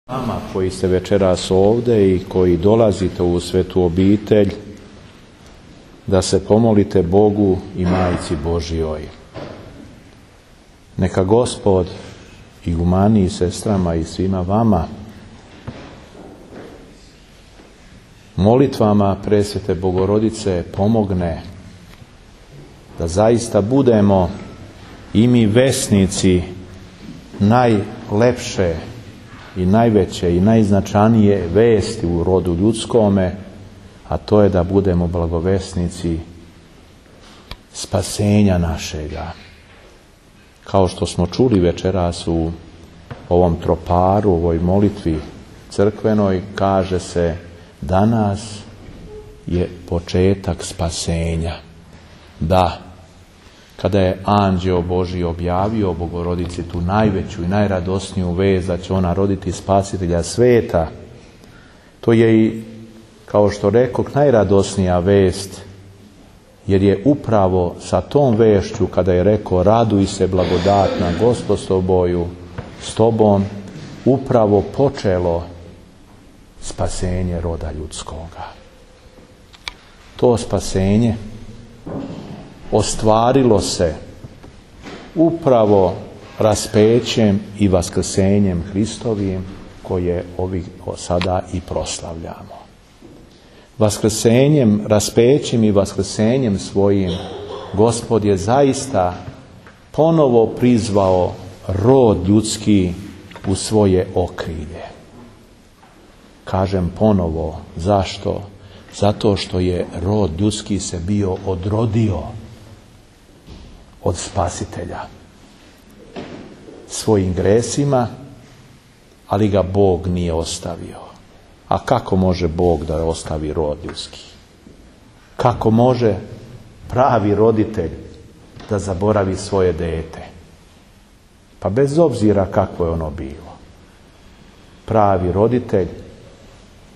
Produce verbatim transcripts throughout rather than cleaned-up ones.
Vama koji ste večeras ovdje i koji dolazite u svetu obitelj, da se pomolite Bogu i Majci Božjoj. Neka Gospod i u mani i sestrama i svima vama molitvama presvete Bogorodice pomogne da zaista budemo i mi vesnici najlepše i najveće i najznačajnije vesti u rodu ljudskome, a to je da budemo blagovesnici spasenja našega. Kao što smo čuli večeras u ovom troparu, u ovoj molitvi crkvenoj, kaže se danas je početak spasenja. Da, kada je anđeo Božji objavio Bogorodici tu najveću i najradosniju vest da će ona roditi spasitelja sveta, to je i, kao što rekoh, najradosnija vest, jer je upravo sa tom vešću, kada je rekao raduj se blagodatna Gospod s toboju, s tobom, upravo počelo spasenje roda ljudskoga. To spasenje ostvarilo se upravo raspećem i vaskrsenjem Hristovim, koje ovih sada i proslavljamo. Vaskrsenjem, raspećem i vaskrsenjem svojim Gospod je zaista ponovo prizvao rod ljudski u svoje okrilje. Kažem ponovo, zašto? Zato što je rod ljudski se bio odrodio od Spasitelja svojim gresima, ali ga Bog nije ostavio. A kako može Bog da ostavi rod ljudski? Kako može pravi roditelj da zaboravi svoje dete? Pa bez obzira kako je ono bilo. Pravi roditelj,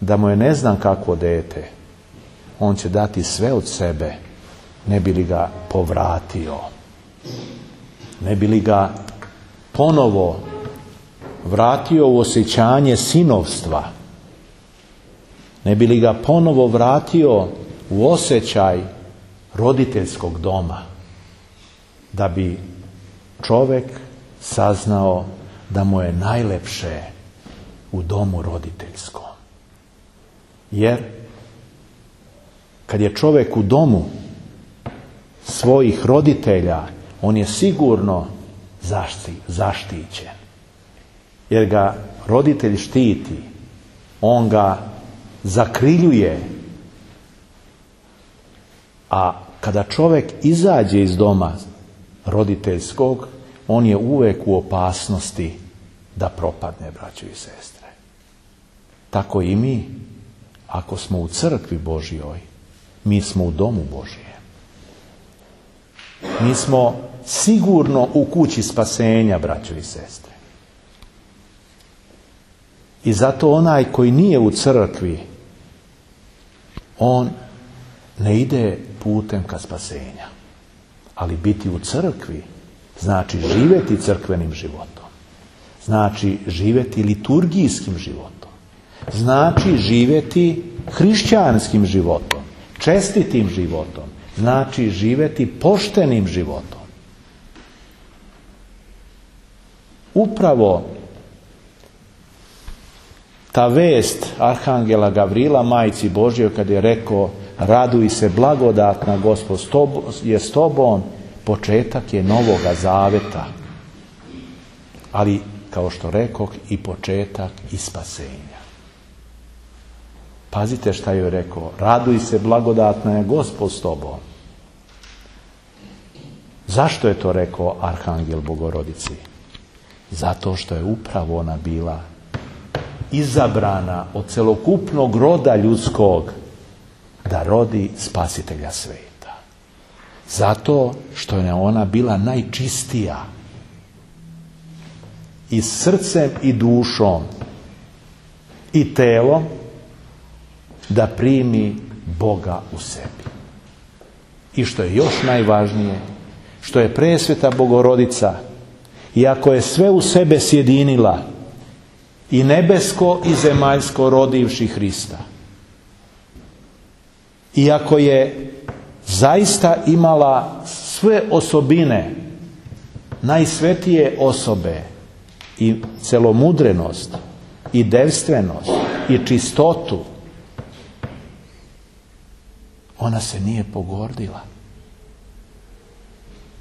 da mu je ne znam kakvo dete, on će dati sve od sebe, ne bi li ga povratio. Ne bi li ga ponovo vratio u osjećanje sinovstva. Ne bi li ga ponovo vratio u osjećaj roditeljskog doma. Da bi čovjek saznao da mu je najlepše u domu roditeljskom. Jer kad je čovjek u domu svojih roditelja, on je sigurno zašti, zaštićen. Jer ga roditelj štiti, on ga zakriljuje. A kada čovjek izađe iz doma roditeljskog, on je uvijek u opasnosti da propadne, braćo i sestre. Tako i mi, ako smo u crkvi Božjoj, mi smo u domu Božjem. Mi smo sigurno u kući spasenja, braćo i sestre. I zato onaj koji nije u crkvi, on ne ide putem ka spasenja. Ali biti u crkvi znači živjeti crkvenim životom. Znači živjeti liturgijskim životom. Znači živjeti hrišćanskim životom, čestitim životom. Znači živjeti poštenim životom. Upravo ta vest arhangela Gavrila Majci Božjoj, kad je rekao raduj se blagodatna Gospod je s tobom, početak je novoga zaveta. Ali, kao što rekoh, i početak i spasenja. Pazite šta joj rekao, raduj se blagodatna je Gospod s tobom. Zašto je to rekao arhangel Bogorodici? Zato što je upravo ona bila izabrana od celokupnog roda ljudskog da rodi spasitelja sveta. Zato što je ona bila najčistija i srcem i dušom i telom da primi Boga u sebi. I što je još najvažnije, što je presveta Bogorodica, iako je sve u sebe sjedinila, i nebesko i zemaljsko rodivši Hrista. Iako je zaista imala sve osobine najsvetije osobe i celomudrenost i devstvenost i čistotu, ona se nije pogordila.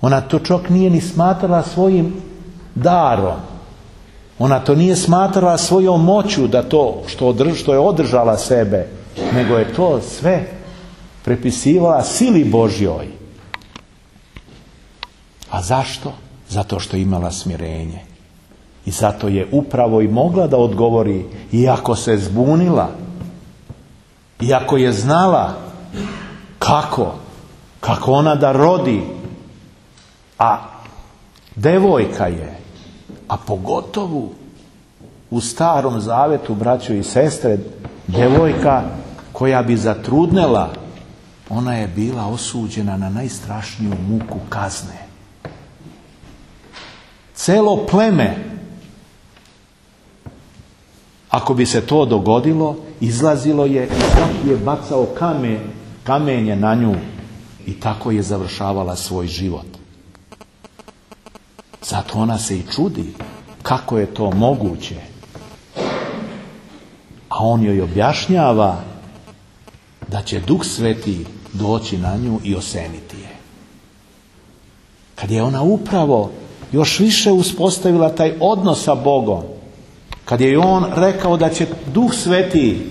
Ona to čak nije ni smatrala svojim darom. Ona to nije smatrala svojom moću da to što, održ, što je održala sebe, nego je to sve prepisivala sili Božjoj. A zašto? Zato što je imala smirenje. I zato je upravo i mogla da odgovori, iako se zbunila, iako je znala kako, kako ona da rodi, a devojka je, a pogotovo u Starom Zavetu, braćo i sestre, devojka koja bi zatrudnela, ona je bila osuđena na najstrašniju muku kazne. Celo pleme, ako bi se to dogodilo, izlazilo je i svaki je bacao kamen, kamenje na nju i tako je završavala svoj život. Zato ona se i čudi kako je to moguće. A on joj objašnjava da će Duh Sveti doći na nju i oseniti je. Kad je ona upravo još više uspostavila taj odnos sa Bogom, kad je on rekao da će Duh Sveti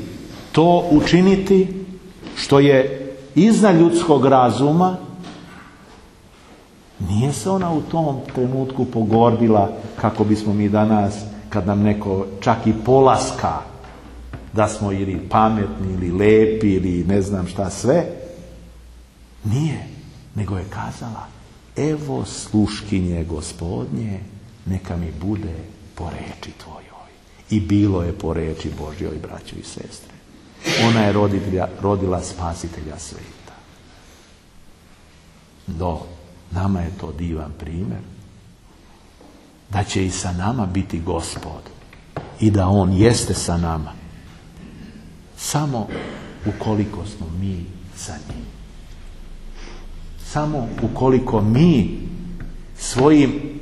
to učiniti što je iznad ljudskog razuma, nije se ona u tom trenutku pogordila kako bismo mi danas, kad nam neko čak i polaska da smo ili pametni ili lepi ili ne znam šta sve. Nije, nego je kazala: evo sluškinje Gospodnje, neka mi bude po reči tvojoj. I bilo je po reči Božjoj, braćo i sestre. Ona je rodila, rodila spasitelja sveta. Do nama je to divan primjer da će i sa nama biti Gospod i da on jeste sa nama samo ukoliko smo mi sa njim. Samo ukoliko mi svojim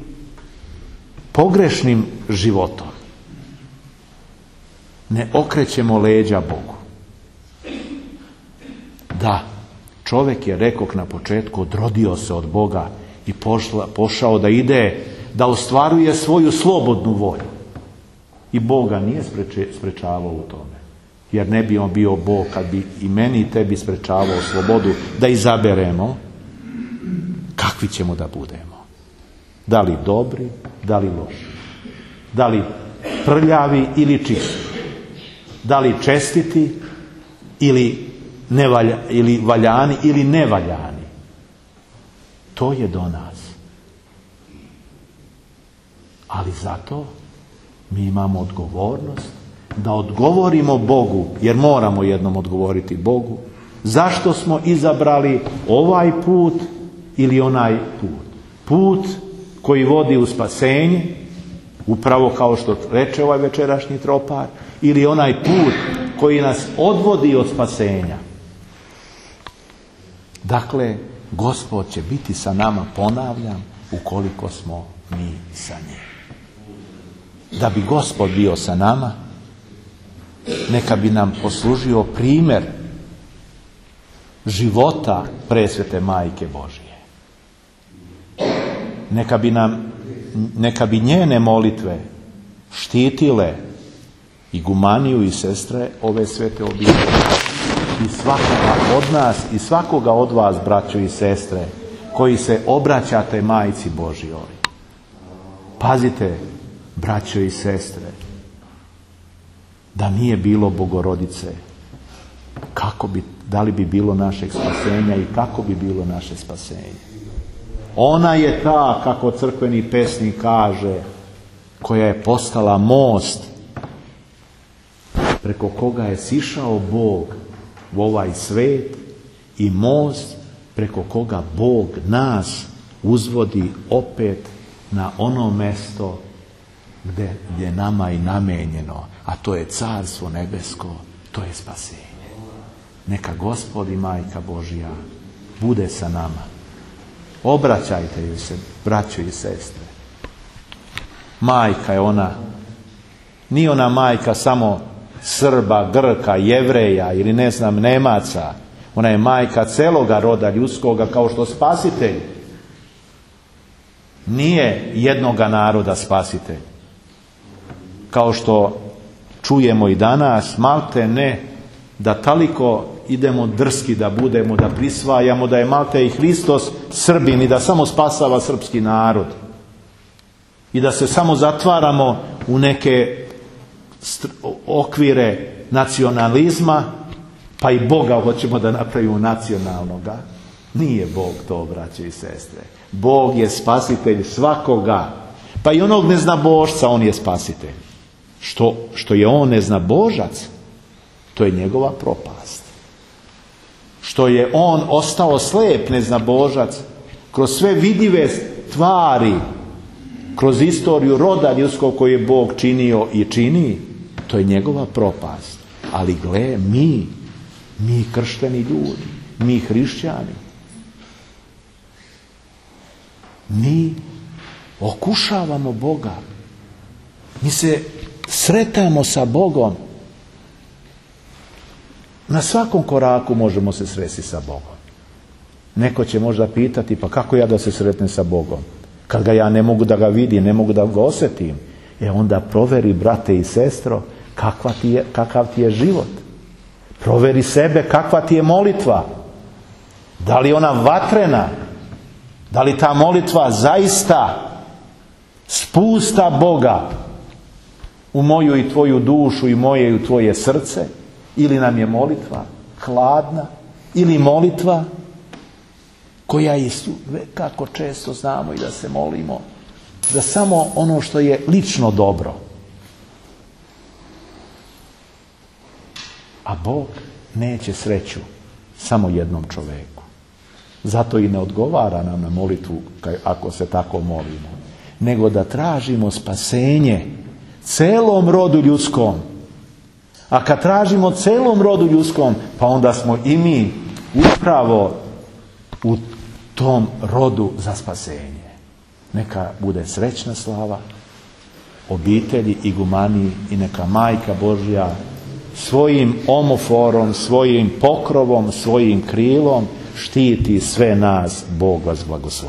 pogrešnim životom ne okrećemo leđa Bogu. Da, čovjek je, rekoh na početku, odrodio se od Boga i pošla, pošao da ide, da ostvaruje svoju slobodnu volju. I Boga nije spreče, sprečavao u tome. Jer ne bi on bio Bog kad bi i meni i tebi sprečavao slobodu da izaberemo kakvi ćemo da budemo. Da li dobri, da li loši. Da li prljavi ili čisti. Da li čestiti ili, nevalja, ili valjani ili nevaljani. To je do nas. Ali zato mi imamo odgovornost da odgovorimo Bogu, jer moramo jednom odgovoriti Bogu, zašto smo izabrali ovaj put ili onaj put. Put koji vodi u spasenje, upravo kao što reče ovaj večerašnji tropar, ili onaj put koji nas odvodi od spasenja. Dakle, Gospod će biti sa nama, ponavljam, ukoliko smo mi sa njim. Da bi Gospod bio sa nama, neka bi nam poslužio primjer života presvete Majke Božije. Neka bi nam, neka bi njene molitve štitile i gumaniju i sestre ove svete obitelji i svakoga od nas i svakoga od vas, braćo i sestre, koji se obraćate Majci Božjoj. Pazite, braćo i sestre, da nije bilo Bogorodice, kako bi, da li bi bilo našeg spasenja i kako bi bilo naše spasenje? Ona je ta, kako crkveni pesnik kaže, koja je postala most preko koga je sišao Bog u ovaj svet i most preko koga Bog nas uzvodi opet na ono mesto gdje je nama i namenjeno, a to je Carstvo nebesko, to je spasenje. Neka Gospod i Majka Božja bude sa nama. Obraćajte joj se, braćo i sestre. Majka je ona, nije ona majka samo Srba, Grka, Jevreja ili ne znam Nemaca. Ona je majka celoga roda ljudskoga, kao što spasitelj nije jednoga naroda spasitelj. Kao što čujemo i danas, malte ne da toliko idemo drski da budemo, da prisvajamo da je malte i Hristos Srbin i da samo spasava srpski narod. I da se samo zatvaramo u neke okvire nacionalizma, pa i Boga hoćemo da napravimo nacionalnoga. Nije Bog to, braće i sestre. Bog je spasitelj svakoga, pa i onog neznabošca on je spasitelj. Što, što je on neznabožac, to je njegova propast. Što je on ostao slijep neznabožac, kroz sve vidljive stvari, kroz istoriju roda ljudskog koji je Bog činio i čini, to je njegova propast. Ali gle, mi, mi kršteni ljudi, mi hrišćani, mi okušavamo Boga. Mi se sretamo sa Bogom. Na svakom koraku možemo se sresti sa Bogom. Neko će možda pitati, pa kako ja da se sretnem sa Bogom? Kad ga ja ne mogu da ga vidim, ne mogu da ga osjetim. E onda proveri, brate i sestro, kakva ti je, kakav ti je život. Proveri sebe, kakva ti je molitva. Da li ona vatrena? Da li ta molitva zaista spusta Boga u moju i tvoju dušu i moje i tvoje srce? Ili nam je molitva hladna? Ili molitva koja je, kako često znamo i da se molimo, za samo ono što je lično dobro. A Bog neće sreću samo jednom čoveku. Zato i ne odgovara nam na molitvu ako se tako molimo. Nego da tražimo spasenje celom rodu ljudskom. A kad tražimo celom rodu ljudskom, pa onda smo i mi upravo u tom rodu za spasenje. Neka bude srećna slava obitelji igumaniji i neka Majka Božja svojim omoforom, svojim pokrovom, svojim krilom štiti sve nas. Bog vas blagoslovi.